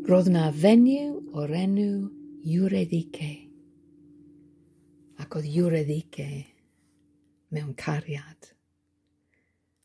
Roedd 'na fenyw o'r enw Eurydice, ac oedd Eurydice mewn cariad.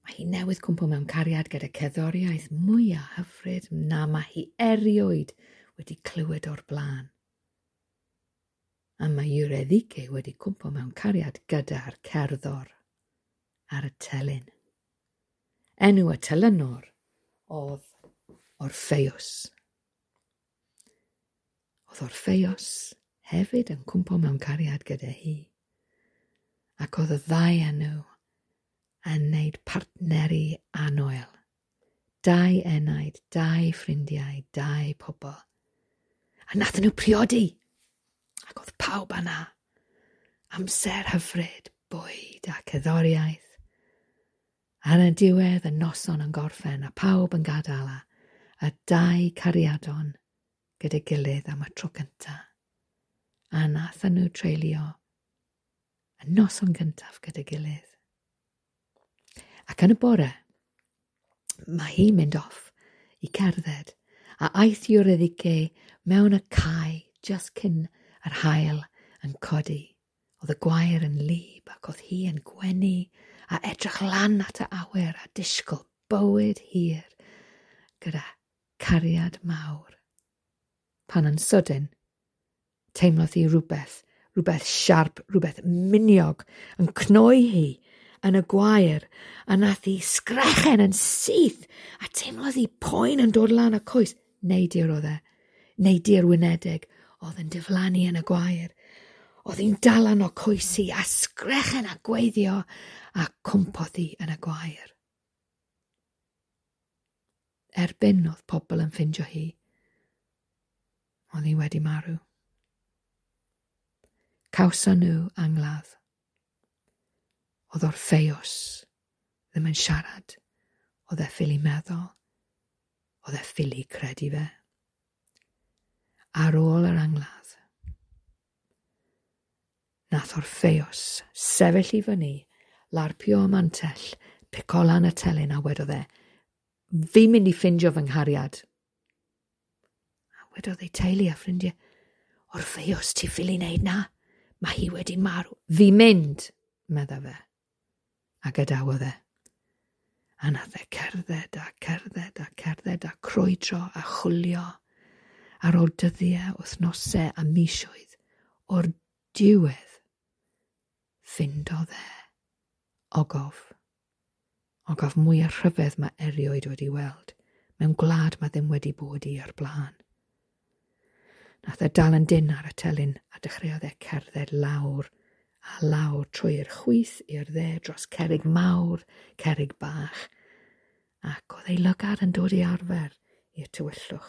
Mae hi newydd cwmpo mewn cariad gyda cerddoriaeth mwyaf hyfryd na mae hi erioed wedi clywed o'r blaen. A mae Eurydice wedi cwmpo mewn cariad gyda'r cerddor ar y telyn. Enw y telynor oedd Orffeus. Oedd Orffeus hefyd yn cwmpo mewn cariad gyda hi. Ac oedd y ddau enw yn wneud partneri annwyl. Dau enaid, dau ffrindiau, dau pobl. A nathon nhw priodi. Ac oedd pawb yna. Amser hyfryd, bwyd a cerddoriaeth. Ar y diwedd y noson yn gorffen a pawb yn gadael a dau cariadon gyda'i gilydd am y tro cyntaf. A nathon nhw treulio y noson gyntaf gyda'i gilydd. Ac yn y bore, mae hi'n mynd off i cerdded a aeth Eurydice mewn y cae just cyn yr haul yn codi. Oedd y gwair yn wlyb ac oedd hi yn gwenu a edrych lan at y awyr a disgwyl bywyd hir gyda cariad mawr. Pan yn sydyn, teimlodd hi rhywbeth, rhywbeth siarp, rhywbeth miniog yn cnoi hi yn y gwair, a nath hi sgrechen yn syth, a teimlodd hi poen yn dod lan y coes. Neidiwr oedd e, neidiwr wynedig, oedd yn diflannu yn y gwair. Oedd hi'n dal o coes hi, a sgrechen a gweiddio, a cwmpodd hi yn y gwair. Erbyn oedd pobl yn ffindio hi, oedd hi wedi marw. Cawson nhw angladd. Oedd Orffeus ddim yn siarad. Oedd e ffili meddwl. Oedd e ffili credu fe. Ar ôl yr angladd, nath Orffeus sefyll i fyny, larpio y mantell, pico lan y telyn a wedodd e, "Fi'n mynd i ffindio fy nghariad." A wedodd ei teulu a ffrindiau, "Orffeus, ti ffili wneud na? Mae hi wedi marw." "Fi'n mynd," medda fe. A gadawodd e. A nath e cerdded a cerdded a cerdded a crwydro a chwilio ar ôl dyddiau, wythnosau a misoedd o'r diwedd ffindodd e ogof. Ogof mwyaf rhyfedd mae erioed wedi weld, mewn gwlad mae ddim wedi bod i ar blaen. Nath e dal yn dyn ar y telyn a dechreuodd e cerdded lawr a lawr trwy'r chwith i'r dde dros cerrig mawr, cerrig bach, ac oedd ei lygad yn dod i arfer i'r tywyllwch.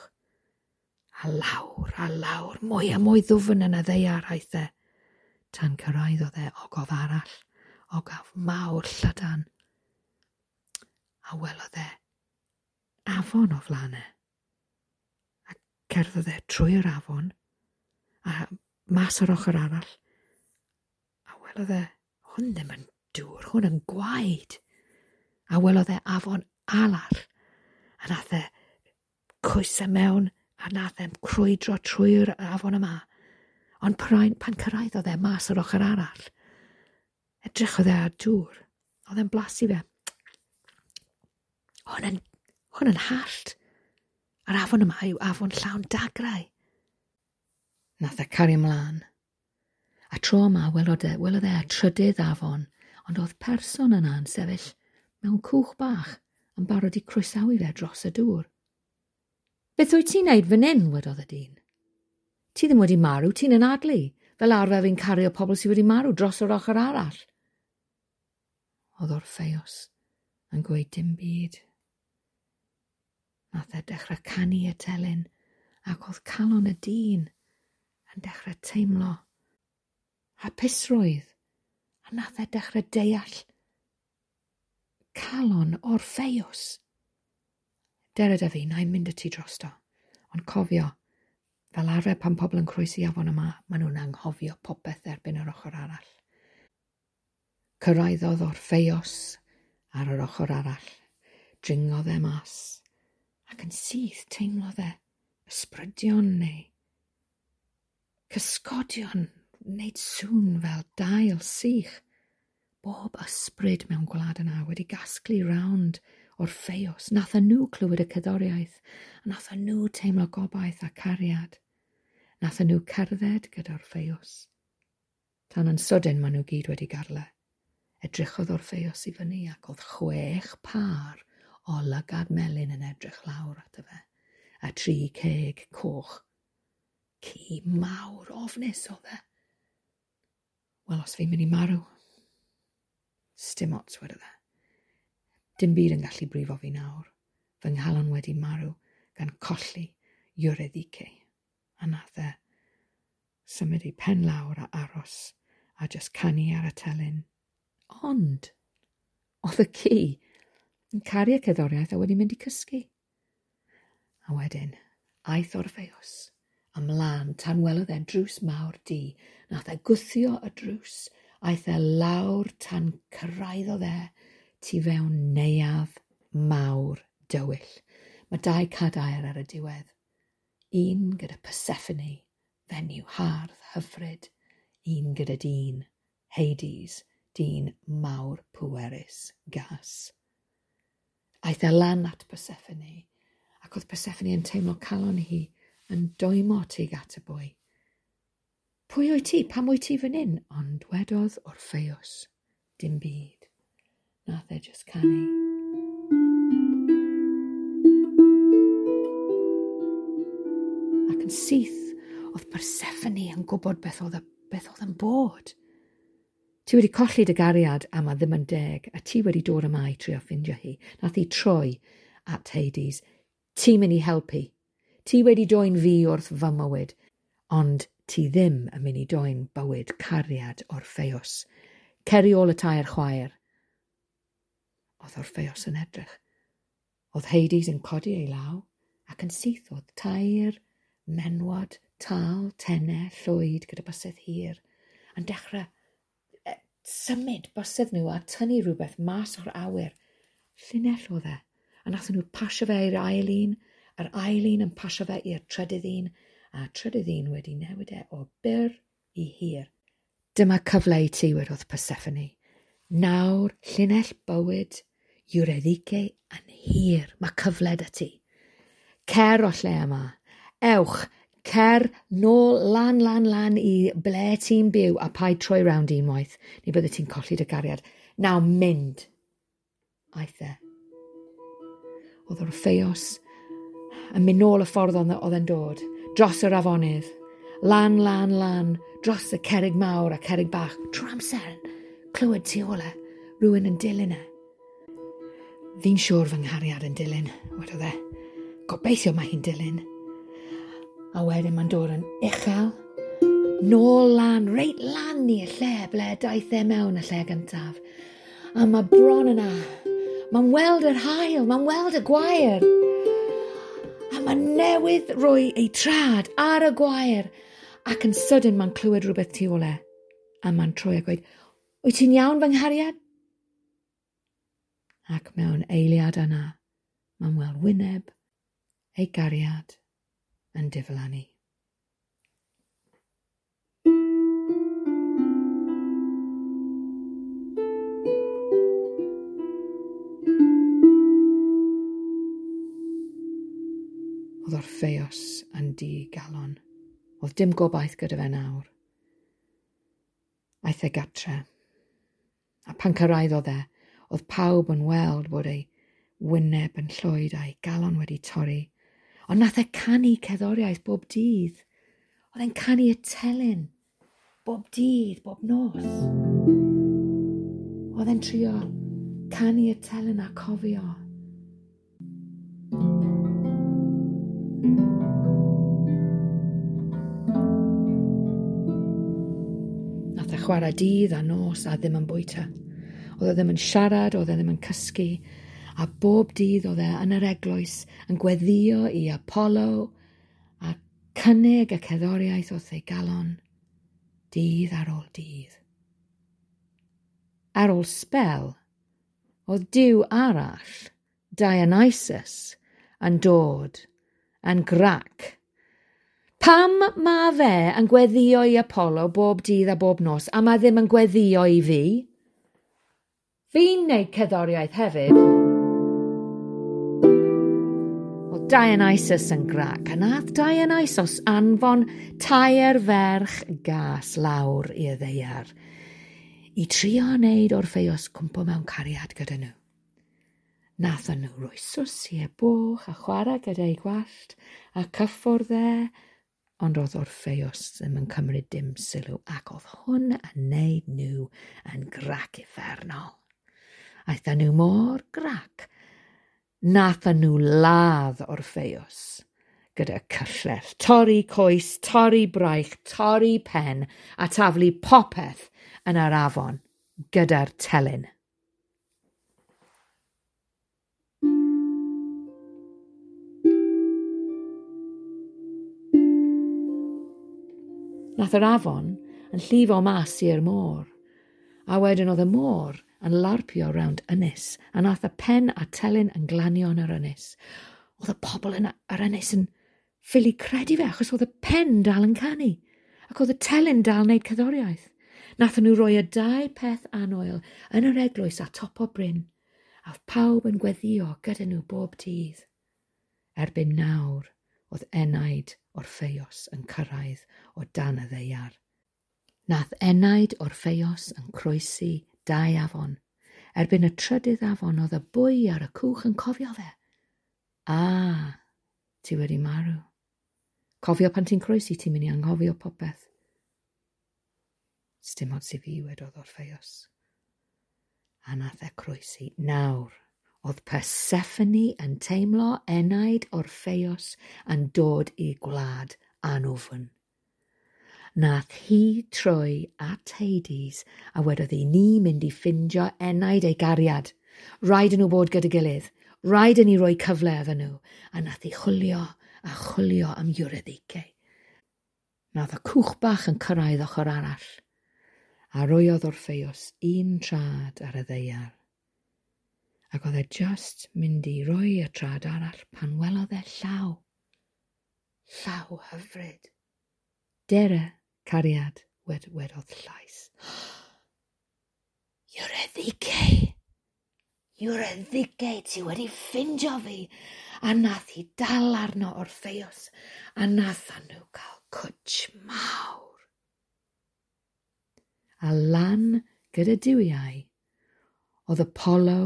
A lawr, mwy a mwy ddwfn yn y ddaear aeth e. Tan cyrraeddodd e ogof arall, ogof mawr llydan. A welodd e afon o flaen e. A cerddodd e trwy'r afon, a mas o'r ochr arall. A welodd e, hwn ddim yn dŵr, hwn yn gwaed. A welodd e afon arall. A nath e coesau mewn, a nath e crwydro trwy'r afon yma. Ond pan cyrraeddodd e mas o'r ochr arall, edrychodd e ar dŵr. Oedd e'n blasu fe. Hwn yn hallt. A'r afon yma yw afon llawn dagrau. Nath e cario ymlaen. A tro yma welodd e y trydydd afon, ond oedd person yna yn sefyll mewn cwch bach yn barod i croesawu fe dros y dŵr. "Beth wyt ti'n neud fan hyn?" wedodd y dyn. "Ti ddim wedi marw, ti'n anadlu. Fel arfer fi'n cario pobl sydd wedi marw dros yr ochr arall." Oedd Orffeus yn gweud dim byd. Nath e dechrau canu y telyn, ac oedd calon y dyn yn dechrau teimlo hapusrwydd, a nath e dechrau deall calon Orffeus. "Dere da fi, na i mynd â ti drosto. Ond cofio, fel arfer pan pobl yn croesi afon yma, maen nhw'n anghofio popeth erbyn yr ochr arall." Cyrraeddodd Orffeus Ar yr ochr arall, dringodd e mas, ac yn syth teimlodd e ysbrydion neu cysgodion wneud sŵn fel dail sych. Bob ysbryd mewn gwlad yna wedi gasglu rownd Orffeus. Nath nhw clywed y cerddoriaeth, a nath nhw teimlo gobaith a cariad. Nath nhw cerdded gyda Orffeus. Tan yn sydyn maen nhw gyd wedi gadael e. Edrychodd Orffeus i fyny ac oedd 6 pâr o lygad melyn yn edrych lawr ato fe, a 3 ceg coch. Ci mawr ofnus oedd e. Wel, os fi'n mynd i marw, sdim ots, wedodd e. Dim byd yn gallu brifo fi nawr. Fy nghalon wedi marw gan colli Eurydice. A nath e symud ei pen lawr a aros a just canu ar y telyn. Ond oedd y ci yn caru y cerddoriaeth a wedi mynd i cysgu. A wedyn, aeth Orffeus ymlaen tan welodd e drws mawr du. Nath e gwthio y drws, aeth e lawr tan cyrraeddodd e tu fewn neuadd mawr dywyll. Mae 2 cadair ar y diwedd. Un gyda Persephone, fenyw hardd hyfryd. Un gyda dyn, Hades, dyn mawr pwerus, gas. Aeth e lan at Persephone, ac oedd Persephone yn teimlo calon hi yn dwymo tuag at y boi. Pwy wyt ti? Pam wyt ti fan hyn? Ond wedodd Orffeus, dim byd. Nath e just canu. Ac yn syth, oedd Persephone yn gwybod beth oedd yn bod. Ti wedi colli dy gariad a mae ddim yn deg, a ti wedi dod yma i trio ffindio hi. Nath hi troi at Hades. Ti'n mynd i helpu. Ti wedi dwyn fi wrth fy mywyd, ond ti ddim yn mynd i dwyn bywyd cariad Orffeus. Cer i ôl y 3 chwaer. Oedd Orffeus yn edrych. Oedd Hades yn codi ei law, ac yn syth oedd 3 menwod, tal, tenau, llwyd gyda bysedd hir, yn dechrau symud bysedd nhw a tynnu rhywbeth mas o'r awyr. Llinell oedd e. A nathon nhw pasio fe i'r ail un, yr ail un yn pasio fe i'r trydydd un, a trydydd un wedi newid e o byr i hir. Dyma cyfle i ti, wedodd Persephone. Nawr, llinell bywyd Eurydice yn hir. Mae cyfle 'da ti. Cer o lle yma. Ewch, cer nôl lan, lan, lan i ble ti'n byw a paid troi rownd unwaith, neu bydde ti'n colli dy gariad. Nawr mynd. Aeth e. Oedd Orffeus yn mynd nôl y ffordd oedd e'n dod, dros yr afonydd, lan, lan, lan, dros y cerrig mawr a cerrig bach, trwy amser, clywed tu ôl e, rhywun yn dilyn e. Fi'n siŵr fy nghariad yn dilyn, wedodd e. Gobeithio mae hi'n dilyn. A wedyn mae'n dod yn uchel, nôl lan, reit lan i'r lle ble daeth e mewn y lle gyntaf. A mae bron yna. Mae'n weld yr haul, mae'n weld y gwair. A mae newydd roi ei trad ar y gwair. Ac yn sydyn mae'n clywed rhywbeth tu ôl e. A mae'n troi a gweud, wyt ti'n iawn fy nghariad? Ac mewn eiliad yna, mae'n weld wyneb ei gariad yn diflannu. Oedd Orffeus yn digalon. Oedd dim gobaith gyda fe nawr. Aeth e gatre. A pan cyrraeddodd e, oedd pawb yn weld bod ei wyneb yn llwyd a'i galon wedi torri. Ond nath e canu cerddoriaeth bob dydd. Oedd e'n canu y telyn bob dydd, bob nos. Oedd e'n trio canu y telyn a cofio. Nath e chwarae dydd a nos a ddim yn bwyta. Oedd e ddim yn siarad, oedd e ddim yn cysgu. A bob dydd oedd e yn yr eglwys yn gweddio i Apollo a cynnig y cerddoriaeth wrth ei galon, dydd ar ôl dydd. Ar ôl sbel, Oedd Duw arall, Dionysus, yn dod yn grac. Pam mae fe yn gweddio i Apollo bob dydd a bob nos a mae ddim yn gweddio i fi? Fi'n neud cerddoriaeth hefyd. Oedd Dionysus yn grac, a nath Dionysus anfon tair ferch gas lawr i'r ddaear i trio wneud Orffeus cwmpo mewn cariad gyda nhw. Nathon nhw roi sws i e boch a chwarae gyda'i gwallt a cyffwrdd e, ond oedd Orffeus ddim yn cymryd dim sylw ac oedd hwn yn neud nhw yn grac uffernol. Aethon nhw mor grac, nathon nhw ladd Orffeus gyda cyllell, torri coes, torri braich, torri pen a taflu popeth yn yr afon gyda'r telyn. Nath yr afon yn llifo mas i'r môr, a wedyn oedd y môr yn larpio rownd ynys, a nath y pen a telyn yn glanio yn yr ynys. Oedd y pobl yn yr ynys yn ffili credu fe, achos oedd y pen dal yn canu, ac oedd y telyn dal yn neud cerddoriaeth. Nathon nhw roi y dau peth annwyl yn yr eglwys a top o bryn, a oedd pawb yn gweddio gyda nhw bob dydd. Erbyn nawr, oedd enaid Orffeus yn cyrraedd o dan y ddaear. Nath enaid Orffeus yn croesi dau afon. Erbyn y trydydd afon oedd y bwy ar y cwch yn cofio fe. A, ti wedi marw. Cofio pan ti'n croesi, ti'n mynd i anghofio popeth. Sdim ots i fi, wedodd Orffeus. A nath e croesi. Nawr, oedd Persephone yn teimlo enaid Orffeus yn dod i gwlad anwfn. Nath hi troi at Hades a wedodd i ni mynd i ffindio enaid ei gariad. Rhaid i nhw bod gyda gilydd. Rhaid i ni roi cyfle iddyn nhw. A nath hi chwilio a chwilio am Eurydice. Nath y cwch bach yn cyrraedd ochr arall. A roiodd Orffeus un trad ar y ddaear. Ac oedd e just mynd i roi y trad arall pan welodd e llaw. Llaw hyfryd. Dere, cariad, wedodd llais. Eurydice! Eurydice, ti wedi ffindio fi! A nath hi dal arno Orffeus, a nathon nhw cael cwtsh mawr. A lan gyda duwiau, oedd Apollo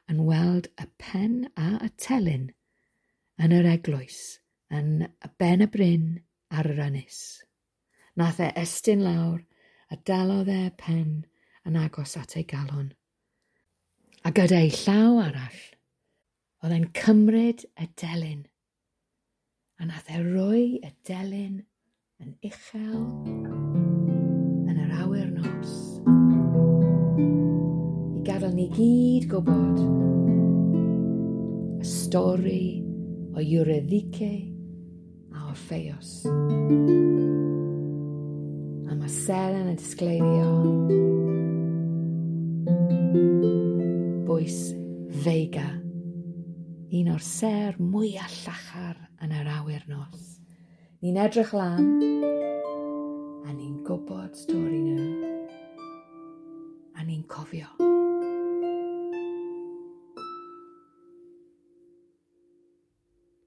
yn weld y pen a y telyn yn yr eglwys, yn y ben y bryn ar yr ynys. Nath e estyn lawr a dalodd e pen yn agos at ei galon. A gyda'i llaw arall, oedd e'n cymryd y delyn. A nath e roi y delyn yn uchel yn yr awyr nos. I gadael ni gyd gwybod y stori o Eurydice a Orffeus. A mae seren yn disgleirio bwys Vega, un o'r ser mwyaf llachar yn yr awyr nos. Ni'n edrych lan a ni'n gwybod stori nhw a ni'n cofio.